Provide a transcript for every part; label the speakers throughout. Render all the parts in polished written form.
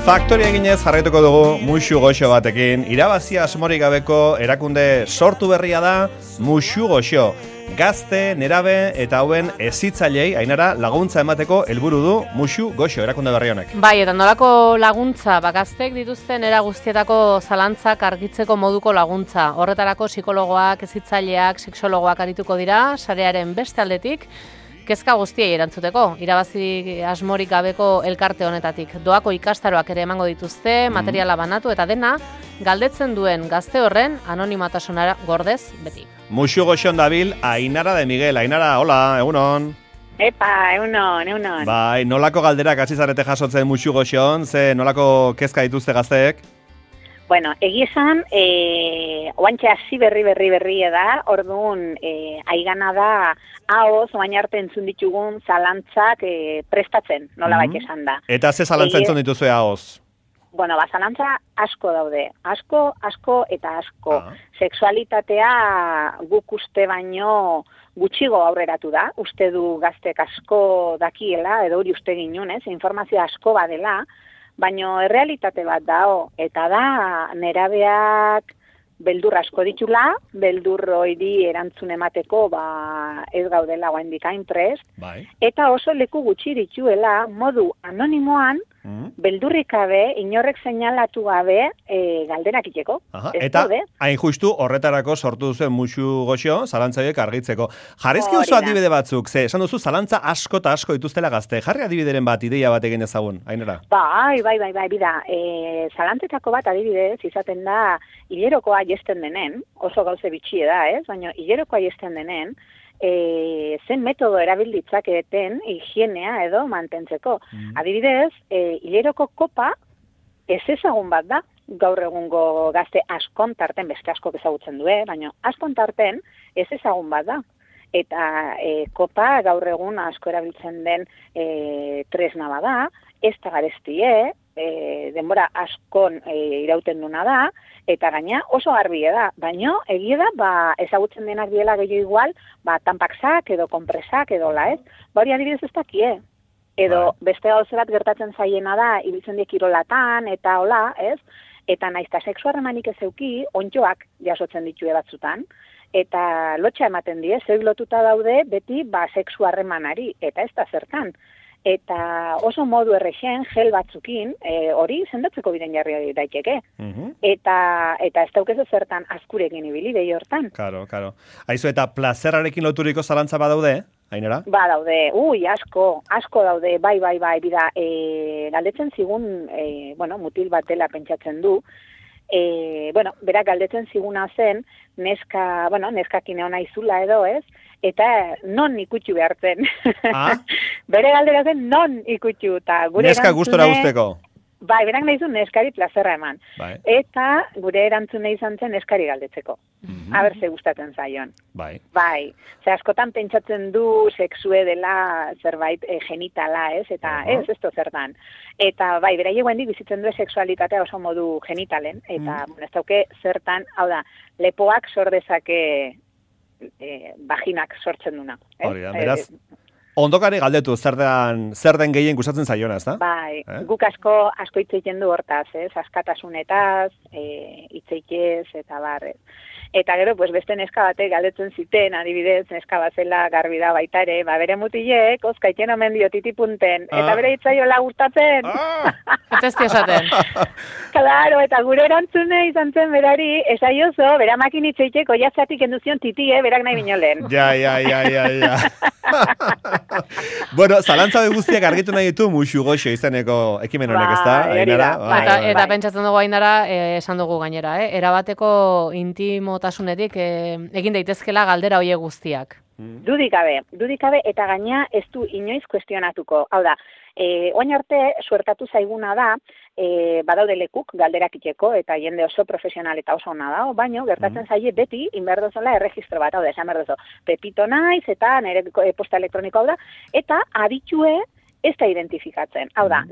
Speaker 1: Faktoria eginez jarraituko dugu Muxu Goxo batekin. Irabazi asmorik gabeko erakunde sortu berria da Muxu Goxo. Gazte, nerabe eta hauen hezitzailei Ainara laguntza emateko helburu du Muxu Goxo erakunde berri honek.
Speaker 2: Bai, eta nolako laguntza, gaztek dituzten era guztietako zalantzak argitzeko moduko laguntza. Horretarako psikologoak, hezitzaileak, sexologoak arituko dira, sarearen beste aldetik, kezka guztiei erantzuteko, irabazi asmorik gabeko elkarte honetatik. Doako ikastaroak ere emango dituzte, materiala banatu eta dena, galdetzen duen gazte horren anonimotasunara gordez beti.
Speaker 1: Muxu Goxon dabil Ainara de Miguel. Ainara, hola, egunon.
Speaker 3: Epa, egunon.
Speaker 1: Bai, nolako galderak hasi zarete jasotzen Muxu Goxon, ze nolako kezka dituzte gazteek?
Speaker 3: Bueno, egia esan, oantxe hasi berri da, orduan aigana da, haoz, oain arte entzun ditugun zalantzak prestatzen, nola baita esan da.
Speaker 1: Eta ze zalantza entzun dituzue haoz?
Speaker 3: Bueno, zalantza asko daude, asko eta asko. Sexualitatea guk uste baino gutxigo aurreratu da, uste du gaztek asko dakiela, edo hori uste ginunez, informazio asko badela, baina errealitate bat dao, eta da nerabeak beldur asko ditula, beldur hori erantzun emateko ez gaudela oraindik hain prest, eta oso leku gutxi dituela modu anonimoan, beldurrik gabe, inorrek seinalatu gabe galderak iteko.
Speaker 1: Eta hain justu horretarako sortu duzuen Muxu Goxo, zalantzaiek argitzeko. Jarrizki oso adibide batzuk, ze esan duzu zalantza asko eta asko dituztela gazte. Jarri adibideren bat, ideia bat egin ezagun, Ainara?
Speaker 3: Bai, bida. Zalantzetako bat adibidez izaten da hilerokoa jesten denen, oso gauze bitxie da, ez? Baina hilerokoa jesten denen, zen metodo erabilditzaketen higienea edo mantentzeko. Adibidez, hileroko kopa ez ezagun bat da, gaur egungo gazte askon tarten, beste askok ezagutzen du, baina askon tarten ez ezagun bat da. Eta kopa gaur egun asko erabiltzen den tresna bada, ez da garestie, denbora askon irauten duna da, eta gaina oso garbie da, baina egia da, ezagutzen denak diela gehiago igual, tanpaksak edo kompresak edo la, ez? Hori adibidez ez dakie. Edo beste gauze bat gertatzen zaiena da, ibiltzen diek kirolatan eta hola, ez? Eta naizta sexu harremanik ez euki, ondjoak jasotzen ditue batzutan, eta lotxa ematen die, zeuk lotuta daude beti sexu harremanari, eta ez da zertan. Eta oso modu errexen, gel batzukin, hori sendatzeko biren jarri daiteke. Eta ez daukezu zertan azkurekin ibili behi hortan.
Speaker 1: Karo. Aizu, eta plazerrarekin loturiko zalantza badaude, Ainara?
Speaker 3: Daude, asko daude, bai, bida, galdetzen zigun, mutil bat dela pentsatzen du, berak galdetzen ziguna zen, neskakin egon aizula edo, ez? Eta non ikutxu behartzen. Bere galdera zen non ikutxu.
Speaker 1: Neska gustora guzteko.
Speaker 3: Bai, berak nahi zuen neskari plazerra eman. Eta gure erantzune izan zen neskari galdetzeko. Aber ze gustatzen zaion. Bai. Ze askotan pentsatzen du sexue dela zerbait genitala, ez? Eta ez zertan. Eta bai, beraiek guendik bizitzen du sexualitatea oso modu genitalen. Eta ez dauke zertan, hau da, lepoak sordezake vaginak sortzen duna.
Speaker 1: Hori da, beraz, ondokari galdetu zer den gehien gustatzen zaiona, ez da?
Speaker 3: Bai, guk asko hitz egiten du hortaz, ez? Askatasunetaz, hitz egitez, eta barrez. Eta gero, beste neska batek galdetzen ziten, adibidez, neska bazela garbi da baita ere, bere mutilek, ozkaiten omen dio titipunten, eta bere hitzaiola gustatzen.
Speaker 2: Eta ez esaten.
Speaker 3: Claro, eta gure erantzune izan zen berari, esaiozo, bera makin hitz egiteko jatzatik enduzion titie, berak nahi binolen.
Speaker 1: Ja. Bueno, zalantza guztiak argitu nahi ditu Muxu Goxo izeneko ekimen honek, ez da?
Speaker 2: Eta pentsatzen dugu Ainara, esan dugu gainera, erabateko intimotasunetik egin daitezkela galdera hoiek guztiak.
Speaker 3: Dudik gabe, eta gaina ez du inoiz kuestionatuko. Hau da, oain arte suertatu zaiguna da, badaude lekuk galderak iteko, eta jende oso profesional eta oso ona da, baina gertatzen zaie beti, inberdozela erregistro bat, hau da, esan berdozo, Pepito naiz, eta nire posta elektroniko hau da, eta aditue ez da identifikatzen. Hau da,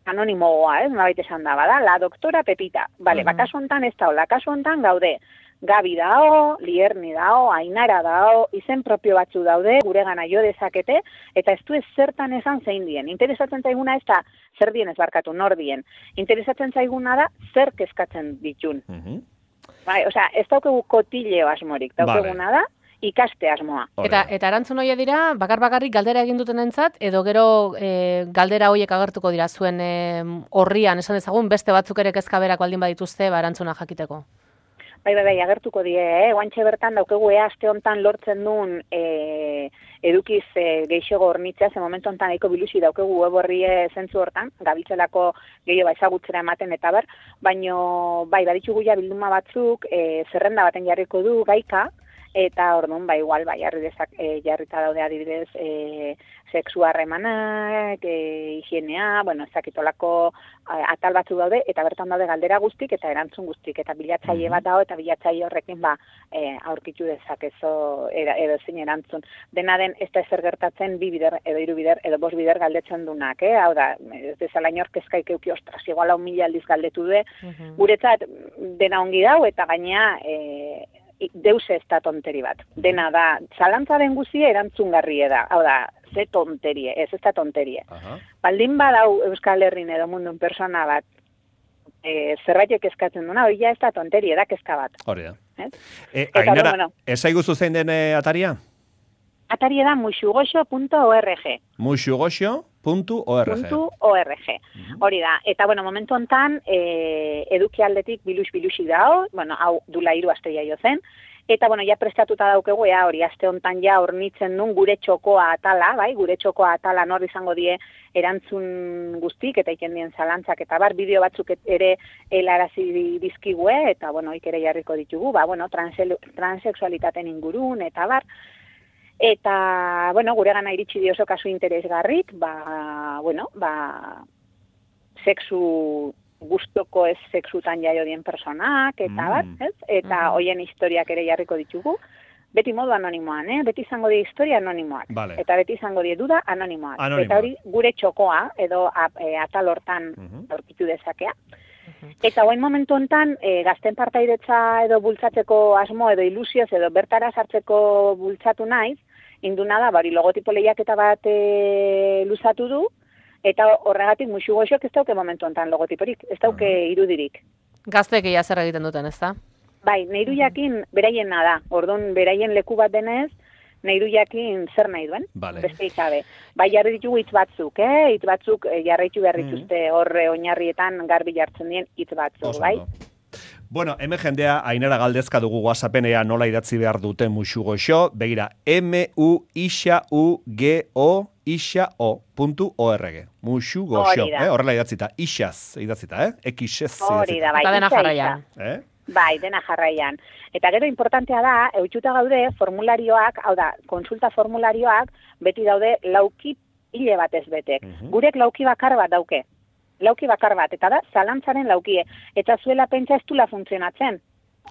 Speaker 3: anonimoa, nolabait esan da, bada, la doktora Pepita. Bale, kasu hontan ez da, kasu hontan gaude, Gabi dao, Lierni dao, Ainara dao, izen propio batzu daude, guregana jo dezakete, eta ez du ez zertan esan zein dien. Interesatzen zaiguna ez da zer dien ez barkatu, nor dien. Interesatzen zaiguna da zer kezkatzen ditun. Bai, osea, ez daukegu kotileo asmorik, daukeguna da, ikaste asmoa.
Speaker 2: Eta erantzun hoia dira, bakarrik galdera egin dutenentzat, edo gero galdera hoiek agertuko dira zuen horrian, esan dezagun, beste batzuk ere kezka berak baldin badituzte, erantzuna jakiteko.
Speaker 3: Bai, agertuko die, guantxe bertan daukegu aste hontan lortzen duen edukiz geixego hornitzea, ze momentu hontan eko bilusi daukegu web horrie zentzu hortan, gabiltzelako gehiago ezagutzera ematen eta ber, baino, baditugu ja bilduma batzuk, zerrenda baten jarriko du gaika, eta orduan, igual, jarrita daude adibidez, sexu harremanak, higienea, ezakitolako atal batzu daude, eta bertan daude galdera guztik eta erantzun guztik, eta bilatzaile bat dago, eta bilatzaile horrekin aurkitu dezakezo edo zein erantzun. Dena den, ez da ezer gertatzen 2 bider, edo 3 bider, edo 5 bider galdetzen dunak, hau da, ez dezala inork kezkaik euki, ostras, igual 1000 aldiz galdetu de, guretzat dena ongi dau, eta gainea, deus ez da tonteri bat. Dena da, zalantzaren guzia erantzungarrie da. Hau da, ze tonterie, ez da tonterie. Baldin badau Euskal Herrin edo mundun persona bat, zerbaitek eskatzen duna, hori ja ez da tonterie, da kezka bat.
Speaker 1: Hori da. Ainara, ez aiguzu zein den ataria?
Speaker 3: Ataria da muxugoxo.org.
Speaker 1: Muxugoxo.org.
Speaker 3: Hori da. Eta, momentu hontan, eduki aldetik bilusi dao, hau dula 3 aste jaio zen, eta, ja prestatuta daukegu, hori aste hontan ja hornitzen duen gure txokoa atala, gure txokoa atala nor izango die erantzun guztik, eta ikendien zalantzak, eta bideo batzuk ere helarazi dizkigue, eta, ikere jarriko ditugu, transexualitaten ingurun, eta Eta, gure gana iritsi dioso kasu interesgarrik, sexu gustoko ez sexutan jaio dien personak, eta ez? Eta hoien historiak ere jarriko ditugu. Beti modu anonimoan, beti izango die historia anonimoak.
Speaker 1: Vale.
Speaker 3: Eta beti izango die duda anonimoak. Eta hori gure txokoa, edo atal hortan aurkitu dezakea. Eta hoen momentu hontan, gazten partairetza edo bultzatzeko asmo edo ilusioz edo bertara sartzeko bultzatu naiz, induna da, logotipo lehiaketa bat luzatu du, eta horregatik muxugoxok ez dauke momentu hontan logotiporik, ez dauke irudirik.
Speaker 2: Gazteek ia zer egiten duten, ez da?
Speaker 3: Bai, nahiru jakin beraiena da, orduan beraien leku bat denez, nahiru jakin zer nahi duen, beste ikabe. Bai, jarri ditugu hitz batzuk, hitz batzuk jarraitu behar dituzte horre oinarrietan garbi jartzen dien hitz batzuk, bai?
Speaker 1: Bueno, hemen jendea, Ainara galdezka dugu WhatsAppen ea nola idatzi behar duten muxugoxo, begira, muxugoxo.org, muxugoxo, horrela idatzita, ixaz idatzita, xez idatzita.
Speaker 3: Hori da, bai,
Speaker 2: dena jarraian.
Speaker 3: Bai, dena jarraian. Eta gero importantea da, eutxuta gaude formularioak, hau da, konsulta formularioak, beti daude lauki hile batez betek. Gurek lauki bakar bat dauke. Lauki bakar bat, eta da, zalantzaren laukie. Eta zuela pentsa ez dula funtzionatzen.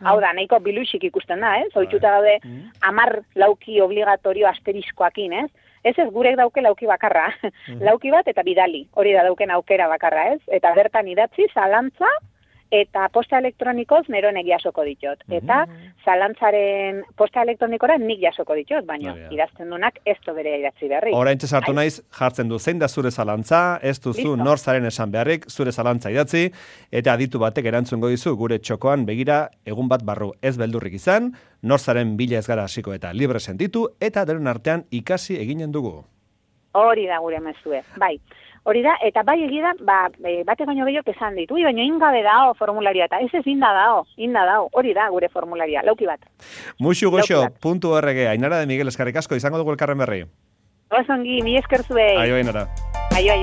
Speaker 3: Hau da, nahiko biluxik ikusten da, ez? Oitxuta daude, 10 lauki obligatorio asteriskoakin, ez? Ez gurek dauke lauki bakarra. Lauki bat eta bidali, hori da dauken aukera bakarra, ez? Eta bertan idatzi, zalantza, eta posta elektronikoz neronek jasoko ditot. Eta zalantzaren posta elektronikora nik jasoko ditot, baina idazten dunak ez do bere idatzi beharrik.
Speaker 1: Oraintxe sartu naiz, jartzen du zein da zure zalantza, ez duzu nor zaren esan beharrik, zure zalantza idatzi, eta aditu batek erantzungo dizu gure txokoan begira egun bat barru ez beldurrik izan, nor zaren bila ez gara hasiko eta libre sentitu, eta denon artean ikasi eginen dugu.
Speaker 3: Hori da gure mezue, bai. Hori da, eta bai egia da, bate baino gehiok esan ditu, baina ingabe dao formularioa, eta ez inda dao, hori da gure formularia, lauki bat.
Speaker 1: Muxugoxo.org, Ainara de Miguel, eskarrik asko, izango dugu elkarren berri.
Speaker 3: Osongi, mi esker zuei.
Speaker 1: Aio, Ainara.
Speaker 3: Aio.